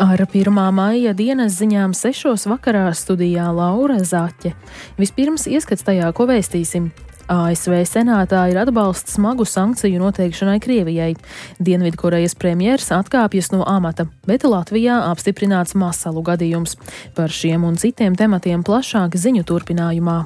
Ar 1. maija dienas ziņām 6. vakarā studijā Laura Zaķe. Vispirms ieskats tajā, ko vēstīsim. ASV senātā ir atbalsts smagu sankciju noteikšanai Krievijai. Dienvidkorejas premjers atkāpjas no amata, bet Latvijā apstiprināts masalu gadījums. Par šiem un citiem tematiem plašāk ziņu turpinājumā.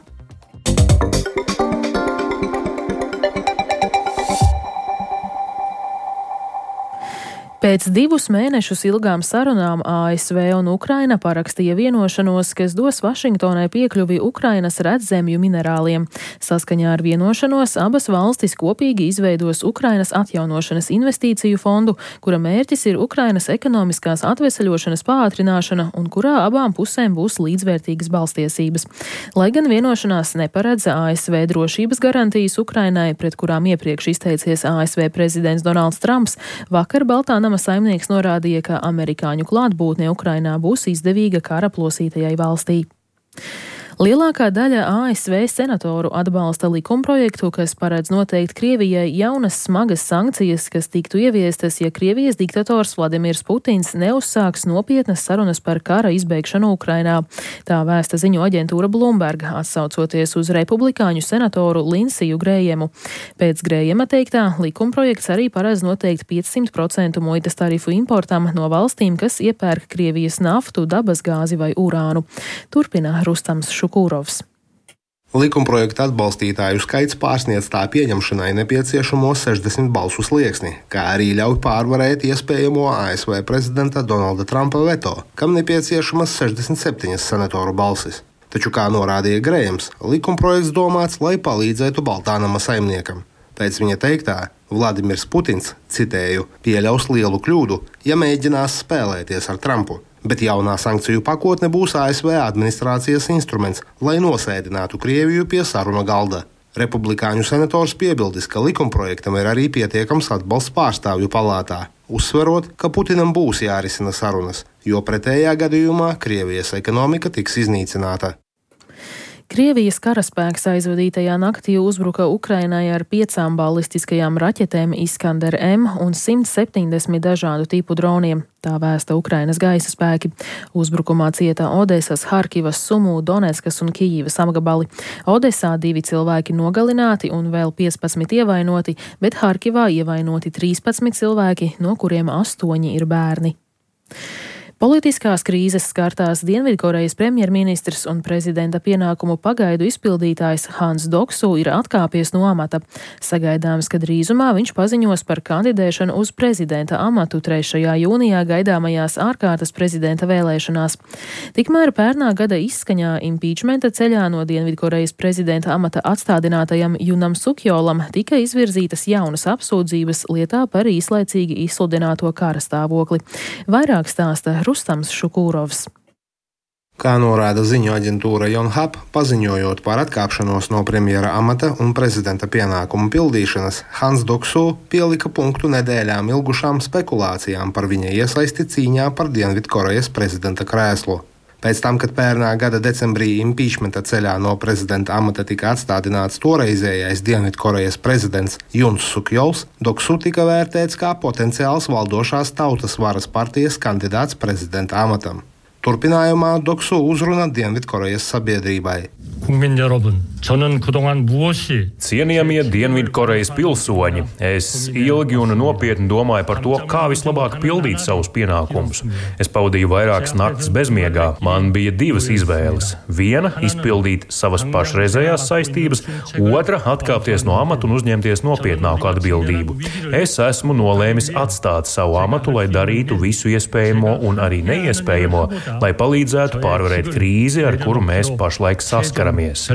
Pēc 2 mēnešus ilgām sarunām ASV un Ukraina parakstīja vienošanos, kas dos Vašingtonai piekļuvi Ukrainas redzemju minerāliem. Saskaņā ar vienošanos abas valstis kopīgi izveidos Ukrainas atjaunošanas investīciju fondu, kura mērķis ir Ukrainas ekonomiskās atveseļošanas pātrināšana un kurā abām pusēm būs līdzvērtīgas balstiesības. Lai gan vienošanās neparedz ASV drošības garantijas Ukrainai, pret kurām iepriekš izteicies ASV prezidents Donalds Trumps, vakar Baltā nama saimnieks norādīja, ka amerikāņu klātbūtne Ukrainā būs izdevīga kara plosītajai valstī. Lielākā daļa ASV senatoru atbalsta likumprojektu, kas paredz noteikt Krievijai jaunas smagas sankcijas, kas tiktu ieviestas, ja Krievijas diktators Vladimirs Putins neuzsāks nopietnas sarunas par kara izbeigšanu Ukrainā. Tā vēsta ziņu aģentūra Bloomberg, atsaucoties uz republikāņu senatoru Linsiju Grējemu. Pēc Grējema teiktā, likumprojekts arī paredz noteikt 500% muitas tarifu importam no valstīm, kas iepērk Krievijas naftu, dabasgāzi vai urānu. Turpina Rustams Šukūrovs. Likumprojekta atbalstītāju skaits pārsniedz tā pieņemšanai nepieciešamo 60 balsu slieksni, kā arī ļauj pārvarēt iespējamo ASV prezidenta Donalda Trumpa veto, kam nepieciešamas 67 senatoru balsis. Taču, kā norādīja Grējams, likumprojekts domāts, lai palīdzētu Baltā nama saimniekam. Pēc viņa teiktā, Vladimirs Putins, citēju, pieļaus lielu kļūdu, ja mēģinās spēlēties ar Trumpu. Bet jaunā sankciju pakotne būs ASV administrācijas instruments, lai nosēdinātu Krieviju pie saruna galda. Republikāņu senators piebildis, ka likumprojektam ir arī pietiekams atbalsts pārstāvju palātā, uzsverot, ka Putinam būs jārisina sarunas, jo pretējā gadījumā Krievijas ekonomika tiks iznīcināta. Krievijas karaspēks aizvadītajā naktī uzbruka Ukrainai ar 5 balistiskajām raķetēm Iskander M un 170 dažādu tipu droniem. Tā vēsta Ukrainas gaisa spēki. Uzbrukumā cieta Odesas, Harkivas, Sumu, Donetskas un Kijivas apgabali. Odesā 2 cilvēki nogalināti un vēl 15 ievainoti, bet Harkivā ievainoti 13 cilvēki, no kuriem 8 ir bērni. Politiskās krīzes skartās Dienvidkorejas premjerministrs un prezidenta pienākumu pagaidu izpildītājs Hans Doksu ir atkāpies no amata. Sagaidāms, ka drīzumā viņš paziņos par kandidēšanu uz prezidenta amatu 3. jūnijā gaidāmajās ārkārtas prezidenta vēlēšanās. Tikmēr pērnā gada izskaņā impeachmenta ceļā no Dienvidkorejas prezidenta amata atstādinātajam Junam Sukjolam tika izvirzītas jaunas apsūdzības lietā par īslaicīgi izsludināto kara stāvokli. Vairāk stāsta Rustams Šukūrovs. Kā norāda ziņu aģentūra Yonhap, paziņojot par atkāpšanos no premjera amata un prezidenta pienākumu pildīšanas, Hans Doksu pielika punktu nedēļām ilgušām spekulācijām par viņa iesaisti cīņā par Dienvidkorejas prezidenta krēslu. Pēc tam, kad pērnā gada decembrī impeachmenta ceļā no prezidenta amata tika atstādināts toreizējais Dienvidkorejas prezidents Juns Sukjols, Doksu tika vērtēts kā potenciāls valdošās tautas varas partijas kandidāts prezidenta amatam. Turpinājumā Doksu uzruna Dienvidkorejas sabiedrībai. Cienījamie Dienvidkorejas pilsoņi, es ilgi un nopietni domāju par to, kā vislabāk pildīt savus pienākumus. Es pavadīju vairākas naktas bezmiegā. Man bija 2 izvēles. Viena – izpildīt savas pašreizējās saistības, otra – atkāpties no amata un uzņemties nopietnāku atbildību. Es esmu nolēmis atstāt savu amatu, lai darītu visu iespējamo un arī neiespējamo, lai palīdzētu pārvarēt krīzi, ar kuru mēs pašlaik saskaramies.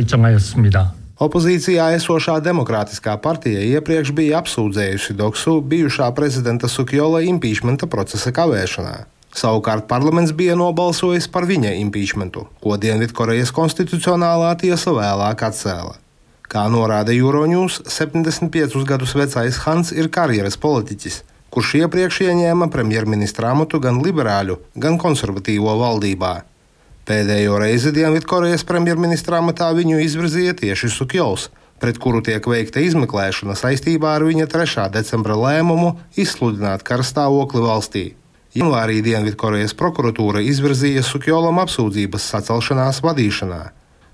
Opozīcijā esošā Demokrātiskā partija iepriekš bija apsūdzējusi Doksu bijušā prezidenta Sukjola impeachmenta procesa kavēšanā. Savukārt parlaments bija nobalsojis par viņa impeachmentu, ko Dienvidkorejas konstitucionālā tiesa vēlāk atcēla. Kā norāda Euronews, 75 gadus vecais Hans ir karjeras politiķis, kurš iepriekš ieņēma premjerministra amatu gan liberāļu, gan konservatīvo valdībā. Pēdējo reizi Dienvidkorejas premjerministra amatā viņu izvirzīja tieši Sukjols, pret kuru tiek veikta izmeklēšana saistībā ar viņa 3. decembra lēmumu izsludināt karstāvokli valstī. Janvārī Dienvidkorejas prokuratūra izvirzīja Sukjolam apsūdzības sacelšanās vadīšanā.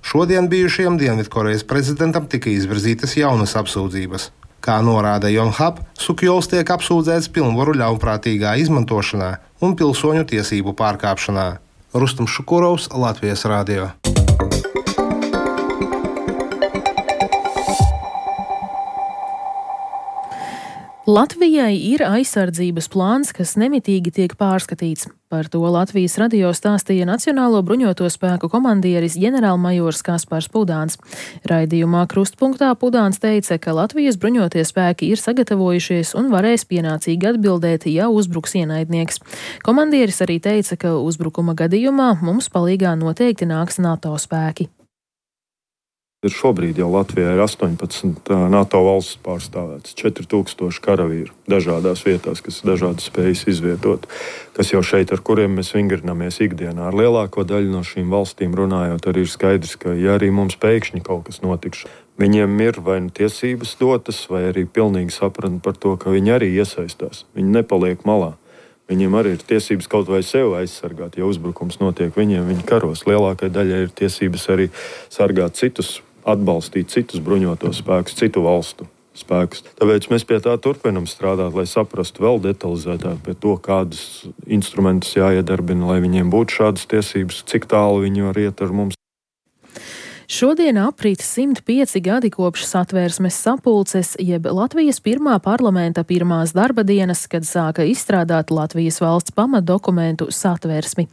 Šodien bijušajam Dienvidkorejas prezidentam tika izvirzītas jaunas apsūdzības. Kā norāda Yonhap, Sukjols tiek apsūdzēts pilnvaru ļaunprātīgā izmantošanā un pilsoņu tiesību pārkāpšanā. Rustam Šukurovs, Latvijas radio. Latvijai ir aizsardzības plāns, kas nemitīgi tiek pārskatīts. Par to Latvijas radio stāstīja Nacionālo bruņoto spēku komandieris ģenerālmajors Kaspars Pudāns. Raidījumā Krustpunktā Pudāns teica, ka Latvijas bruņotie spēki ir sagatavojušies un varēs pienācīgi atbildēt, ja uzbruks ienaidnieks. Komandieris arī teica, ka uzbrukuma gadījumā mums palīgā noteikti nāks NATO spēki. Šobrīd jau Latvijā ir 18 NATO valsts pārstāvētas, 4000 karavīru dažādās vietās, kas dažādas spējas izvietot, kas jau šeit, ar kuriem mēs vingrinamies ikdienā. Ar lielāko daļu no šīm valstīm runājot, arī ir skaidrs, ka ja arī mums pēkšņi kaut kas notikš, viņiem ir vai nu tiesības dotas, vai arī pilnīgi sapratni par to, ka viņi arī iesaistās. Viņi nepaliek malā. Viņiem arī ir tiesības kaut vai sevi aizsargāt, ja uzbrukums notiek viņiem, viņi karos. Lielākai daļai ir tiesības arī sargāt citus, atbalstīt citus bruņotos spēkus, citu valstu spēkus. Tāpēc mēs pie tā turpinam strādāt, lai saprastu vēl detalizētāk pie to, kādus instrumentus jāiedarbina, lai viņiem būtu šādas tiesības, cik tālu viņi var iet ar mums. Šodien aprit 105 gadi kopš Satversmes sapulces, jeb Latvijas pirmā parlamenta pirmās darba dienas, kad sāka izstrādāt Latvijas valsts pamatdokumentu Satversmi.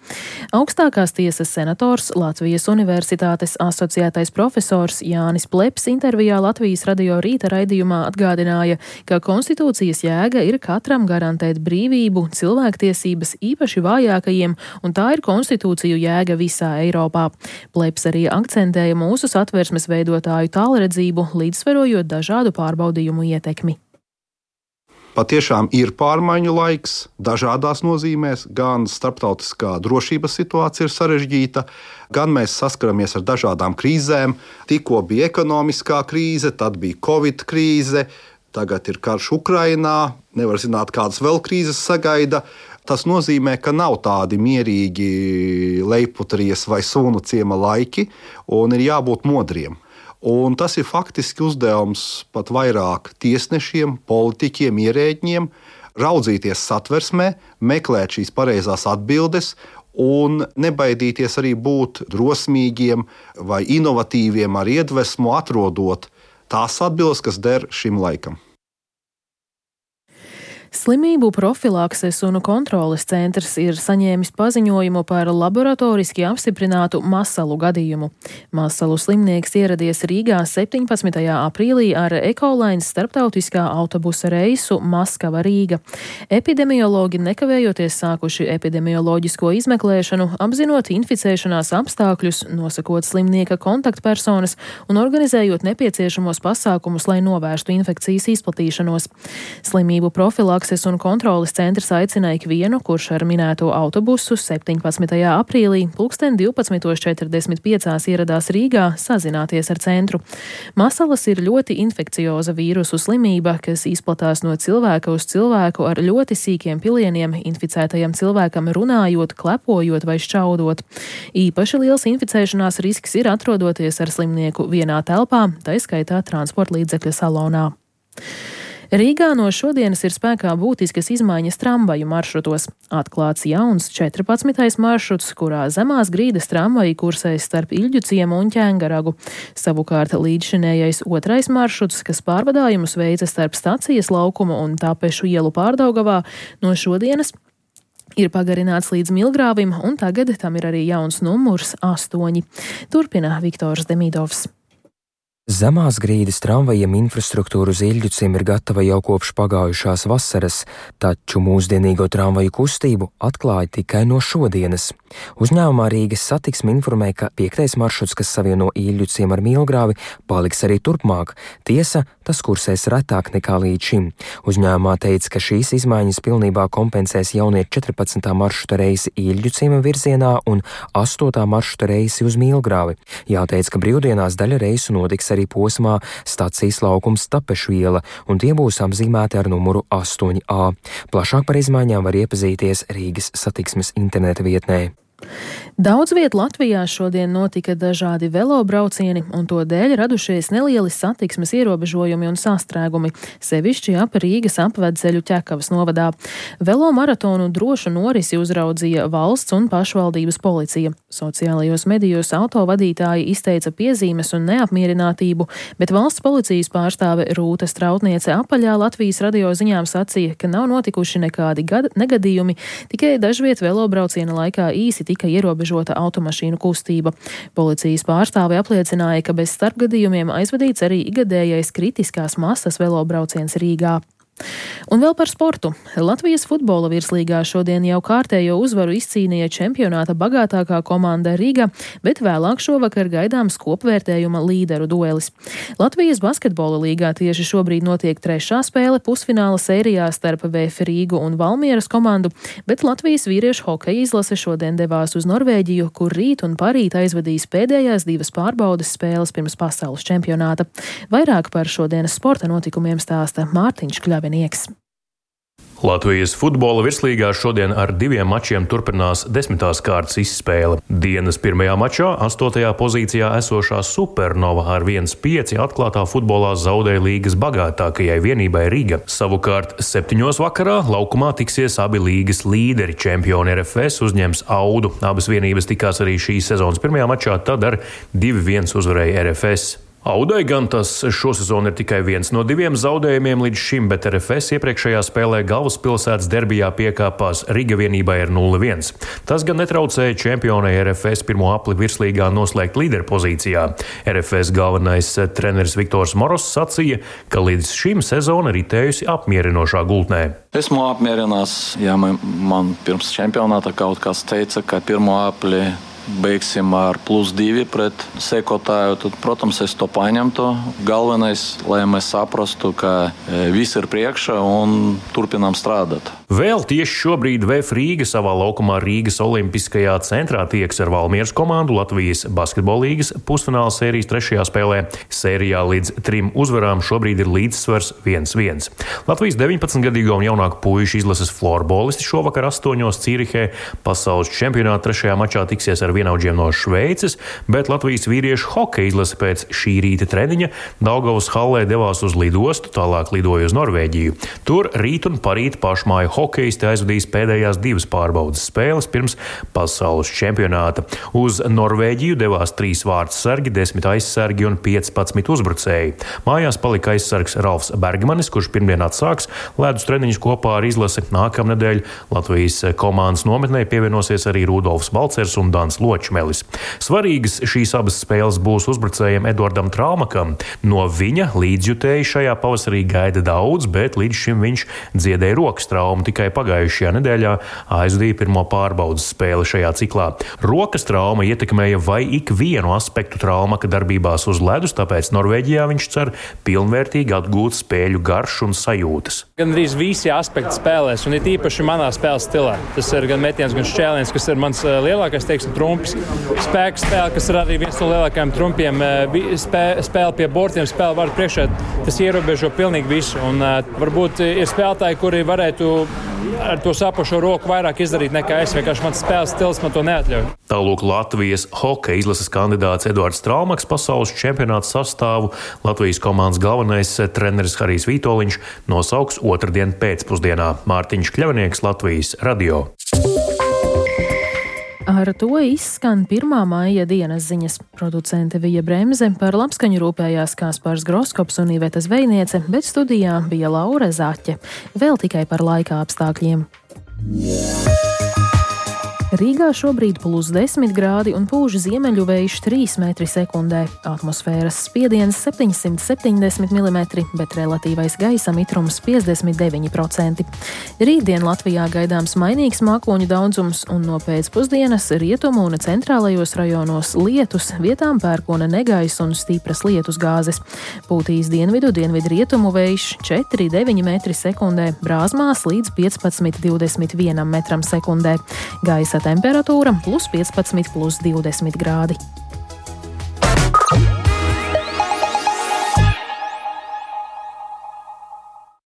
Augstākās tiesas senators, Latvijas Universitātes asociētais profesors Jānis Pleps intervijā Latvijas radio rīta raidījumā atgādināja, ka konstitūcijas jēga ir katram garantēt brīvību, cilvēktiesības īpaši vājākajiem, un tā ir konstitūciju jēga visā Eiropā. Pleps arī akcentēja mūsu Satversmes veidotāju tālredzību, līdzsverojot dažādu pārbaudījumu ietekmi. Patiešām ir pārmaiņu laiks dažādās nozīmēs, gan starptautiskā drošības situācija ir sarežģīta, gan mēs saskaramies ar dažādām krīzēm. Tikko bija ekonomiskā krīze, tad bija Covid krīze, tagad ir karš Ukrainā, nevar zināt, kādas vēl krīzes sagaida. Tas nozīmē, ka nav tādi mierīgi lejputries vai sunu ciema laiki, un ir jābūt modriem. Un tas ir faktiski uzdevums pat vairāk tiesnešiem, politiķiem, ierēģiem, raudzīties Satversmē, meklēt šīs pareizās atbildes un nebaidīties arī būt drosmīgiem vai inovatīviem ar iedvesmu, atrodot tās atbildes, kas der šim laikam. Slimību profilakses un kontroles centrs ir saņēmis paziņojumu par laboratoriski apstiprinātu masalu gadījumu. Masalu slimnieks ieradies Rīgā 17. aprīlī ar Ekolines starptautiskā autobusa reisu Maskava-Rīga. Epidemiologi nekavējoties sākuši epidemioloģisko izmeklēšanu, apzinot inficēšanās apstākļus, nosakot slimnieka kontaktpersonas un organizējot nepieciešamos pasākumus, lai novērstu infekcijas izplatīšanos. Slimību profilakses un kontroles centrs aicina ikvienu, kurš ar minēto autobusu 17. aprīlī 12:45 ieradās Rīgā, sazināties ar centru. Masalas ir ļoti infekcioza vīrusu slimība, kas izplatās no cilvēka uz cilvēku ar ļoti sīkiem pilieniem, inficētajam cilvēkam runājot, klepojot vai šķaudot. Īpaši liels inficēšanās risks ir atrodoties ar slimnieku vienā telpā, tai skaitā transporta līdzekļa salonā. Rīgā no šodienas ir spēkā būtiskas izmaiņas tramvaju maršrutos. Atklāts jauns 14. maršruts, kurā zemās grīdas tramvaji kursēs starp Iļģu ciemu un Ķengaragu. Savukārt līdzšinējais 2. maršruts, kas pārvadājumus veica starp Stacijas laukumu un Tapešu ielu Pārdaugavā, no šodienas ir pagarināts līdz Milgrāvim, un tagad tam ir arī jauns numurs 8. Turpina Viktors Demidovs. Zemās grīdas tramvajiem infrastruktūra uz Iļģuciem ir gatava jau kopš pagājušās vasaras, taču mūsdienīgo tramvaju kustību atklāja tikai no šodienas. Uzņēmumā Rīgas satiksme informē, ka 5. maršruts, kas savieno Iļģuciem ar Milgrāvi, paliks arī turpmāk. Tiesa, tas kursēs retāk nekā līdz šim. Uzņēmumā teica, ka šīs izmaiņas pilnībā kompensēs jaunie 14. maršruta reisi Iļģuciem virzienā un 8. maršruta reisi uz Milgrāvi. Jāteic, ka brīvdienās daļa reisu notiks arī arī posmā stacijas laukums Tapešviela, un tie būs apzīmēti ar numuru 8A. Plašāk par izmaiņām var iepazīties Rīgas satiksmes interneta vietnē. Daudz viet Latvijā šodien notika dažādi velobraucieni, un to dēļ radušies nelieli satiksmes ierobežojumi un sastrēgumi, sevišķi ap Rīgas apvedceļu Ķekavas novadā. Velomaratonu drošu norisi uzraudzīja valsts un pašvaldības policija. Sociālajos medijos autovadītāji izteica piezīmes un neapmierinātību, bet valsts policijas pārstāve Rūta Strautniece apaļā Latvijas radio ziņām sacīja, ka nav notikuši nekādi negadījumi, tikai dažviet velobrauciena laikā īsi tika ierobežota automašīnu kustība. Policijas pārstāve apliecināja, ka bez starpgadījumiem aizvadīts arī ikgadējais kritiskās masas velobrauciens Rīgā. Un vēl par sportu. Latvijas futbola virslīgā šodien jau kārtējo uzvaru izcīnīja čempionāta bagātākā komanda Riga, bet vēlāk šovakar gaidāms kopvērtējuma līderu duelis. Latvijas basketbola līgā tieši šobrīd notiek trešā spēle pusfināla sērijā starp VF Rīgu un Valmieras komandu, bet Latvijas vīriešu hokeja izlase šodien devās uz Norvēģiju, kur rīt un parīt aizvadīs pēdējās divas pārbaudes spēles pirms pasaules čempionāta. Vairāk par šodienas sporta notikumiem stāsta Mārtiņš Kļavinieks. Latvijas futbola virslīgā šodien ar 2 mačiem turpinās 10. kārtas izspēle. Dienas pirmajā mačā 8. pozīcijā esošā Supernova ar 1-5 atklātā futbolā zaudēja līgas bagātākajai vienībai Riga. Savukārt 7. vakarā laukumā tiksies abi līgas līderi. Čempioni RFS uzņems Audu. Abas vienības tikās arī šīs sezonas pirmajā mačā, tad ar 2-1 uzvarēja RFS. Audai gan tas šosezon ir tikai viens no 2 zaudējumiem līdz šim, bet RFS iepriekšējā spēlē galvaspilsētas derbijā piekāpās Riga vienībai ar 0-1. Tas gan netraucēja čempionai RFS pirmo apli virslīgā noslēgt līderpozīcijā. RFS galvenais treneris Viktors Moros sacīja, ka līdz šim sezona ritējusi apmierinošā gultnē. Esmu apmierināts, ja man pirms čempionāta kaut kas teica, ka pirmo apli beigsim ar +2 pret sekotāju, tad, protams, es to paņemtu. Galvenais, lai mēs saprastu, ka viss ir priekšā un turpinām strādāt. Vēl tieši šobrīd VF Rīga savā laukumā Rīgas Olimpiskajā centrā tieks ar Valmieras komandu Latvijas basketbola līgas pusfināla sērijas 3. spēlē. Sērijā līdz 3 uzvarām šobrīd ir līdzsvars 1-1. Latvijas 19-gadīgo un jaunāku puišu izlases florbolisti šovakar 8. Cīrihē pasaules čempionāta 3. mačā tiksies ar vienaudžiem no Šveices, bet Latvijas vīriešu hokeja izlase pēc šī rīta treniņa Daugavas hallē devās uz lidostu, tālāk lidoja uz Norvēģiju. Tur rīt un parīt pašmāju hokejisti aizvadīs pēdējās 2 pārbaudes spēles pirms pasaules čempionāta. Uz Norvēģiju devās 3 vārdsargi, 10 aizsargi un 15 uzbrucēji. Mājās palika aizsargs Ralfs Bergmanis, kurš pirmdien atsāks ledus treniņus kopā ar izlasi. Nākamnedēļ Latvijas komandas nometnē pievienosies arī Rudolfs Balcers un Dans Ločmelis. Svarīgas šīs abas spēles būs uzbrucējiem Edvardam Traumakam. No viņa līdzjutēji šajā pavasarī gaida daudz, bet līdz šim viņš dziedēja rokas traumu. Tikai pagājušajā nedēļā aizvadīja pirmo pārbaudas spēli šajā ciklā. Rokas trauma ietekmēja vai ikvienu aspektu Traumaka darbībās uz ledus, tāpēc Norvēģijā viņš cer pilnvērtīgi atgūt spēļu garšu un sajūtas. Gan arī visi aspekti spēlēs, un ir īpaši manā spēles stilā. Tas ir gan metiens, gan šķēliens, kas ir mans lielākais, trumps. Spēka spēle, kas ir arī viens no lielākajiem trumpiem. Spēle pie bortiem, spēle var priekšā. Tas ierobežo pilnīgi visu. Un varbūt ir spēlētāji, kuri varētu ar to sapušo roku vairāk izdarīt nekā es. Vienkārši mans spēles stils man to neatļauj. Tālūk Latvijas hokeja izlases kandidāts Edvards Traumaks pasaules čempionāta sastāvu Latvijas komandas galvenais treneris Harijs Vītoliņš nosauks otrdien pēcpusdienā. Mārtiņš Kļavinieks, Latvijas radio. Ar to izskan 1. maija dienas ziņas. Producente Vija Bremze, par labskaņu rūpējās Kaspars Groskops un Iveta Zvejniece, bet studijā bija Laura Zaķe. Vēl tikai par laika apstākļiem. Rīgā šobrīd +10 grādi un pūž ziemeļu vējš 3 metri sekundē. Atmosfēras spiediens 770 mm, bet relatīvais gaisa mitrums 59%. Rītdien Latvijā gaidāms mainīgs mākoņu daudzums un no pēcpusdienas rietumu un centrālajos rajonos lietus, vietām pērkona negaiss un stipras lietus gāzes. Pūtīs dienvidu rietumu vējš 4,9 metri sekundē, Brāzmās līdz 15,21 metram sekundē. Gaisa temperatūra +15, +20 grādi.